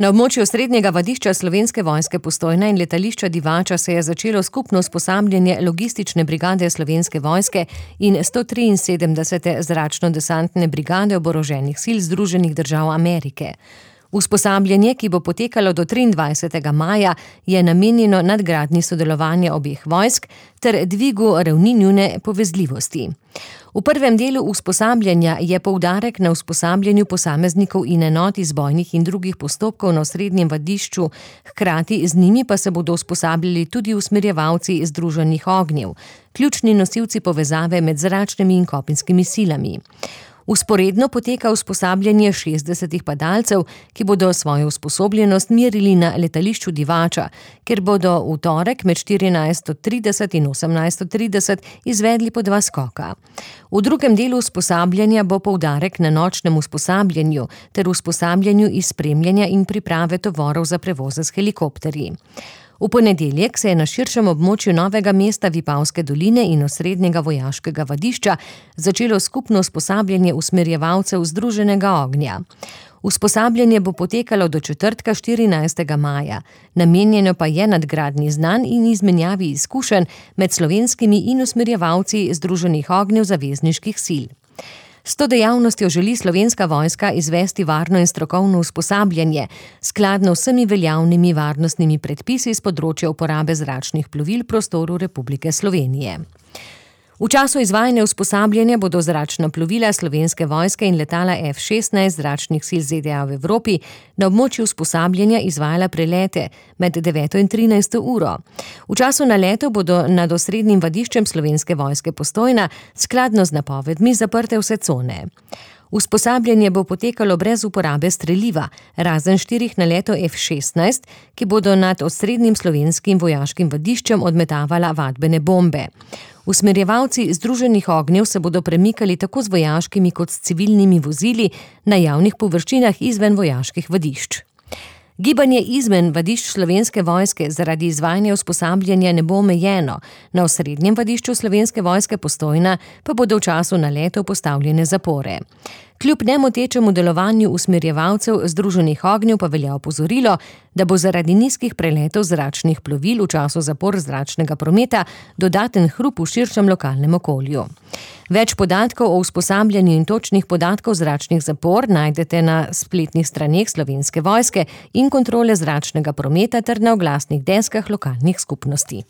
Na območju srednjega vadišča Slovenske vojske Postojna in letališča Divača se je začelo skupno usposabljanje logistične brigade Slovenske vojske in 173. zračno-desantne brigade oboroženih sil Združenih držav Amerike. Usposabljanje, ki bo potekalo do 23. maja, je namenjeno nadgradnji sodelovanja obeh vojsk ter dvigu ravni njune povezljivosti. V prvem delu usposabljanja je poudarek na usposabljanju posameznikov in enot iz bojnih in drugih postopkov na osrednjem vadišču, hkrati z njimi pa se bodo usposabljali tudi usmerjevalci združenih ognjev, ključni nosilci povezave med zračnimi in kopenskimi silami. Vzporedno poteka usposabljanje 60 padalcev, ki bodo svojo usposobljenost merili na letališču Divača, kjer bodo v torek med 14:30 in 18:30 izvedli po 2 skoka. V drugem delu usposabljanja bo poudarek na nočnem usposabljanju ter usposabljanju iz spremljanja in priprave tovorov za prevoze s helikopterji. V ponedeljek se je na širšem območju Novega mesta, Vipavske doline in osrednjega vojaškega vadišča začelo skupno usposabljanje usmerjevalcev združenega ognja. Usposabljanje bo potekalo do četrtka 14. maja, namenjeno pa je nadgradnji znanj in izmenjavi izkušenj med slovenskimi in usmerjevalci združenih ognjev zavezniških sil. S to dejavnostjo želi Slovenska vojska izvesti varno in strokovno usposabljanje, skladno vsemi veljavnimi varnostnimi predpisi s področja uporabe zračnih plovil v prostoru Republike Slovenije. V času izvajanja usposabljanja bodo zračna plovila Slovenske vojske in letala F-16 zračnih sil ZDA v Evropi na območju usposabljanja izvajala prelete med 9. in 13. uro. V času naletov bodo nad osrednjim vadiščem Slovenske vojske Postojna skladno z napovedmi zaprte vse cone. Usposabljanje bo potekalo brez uporabe streliva, razen 4 naletov F-16, ki bodo nad osrednjim slovenskim vojaškim vadiščem odmetavala vadbene bombe. Usmerjevalci združenih ognjev se bodo premikali tako z vojaškimi kot s civilnimi vozili na javnih površinah izven vojaških vadišč. Gibanje izven vadišč Slovenske vojske zaradi izvajanja usposabljanja ne bo omejeno, na osrednjem vadišču Slovenske vojske Postojna pa bodo v času naletov postavljene zapore. Kljub nemotečemu delovanju usmerjevalcev združenih ognjev pa velja opozorilo, da bo zaradi nizkih preletov zračnih plovil v času zapor zračnega prometa dodaten hrup v širšem lokalnem okolju. Več podatkov o usposabljanju in točnih podatkov zračnih zapor najdete na spletnih straneh Slovenske vojske in kontrole zračnega prometa ter na oglasnih deskah lokalnih skupnosti.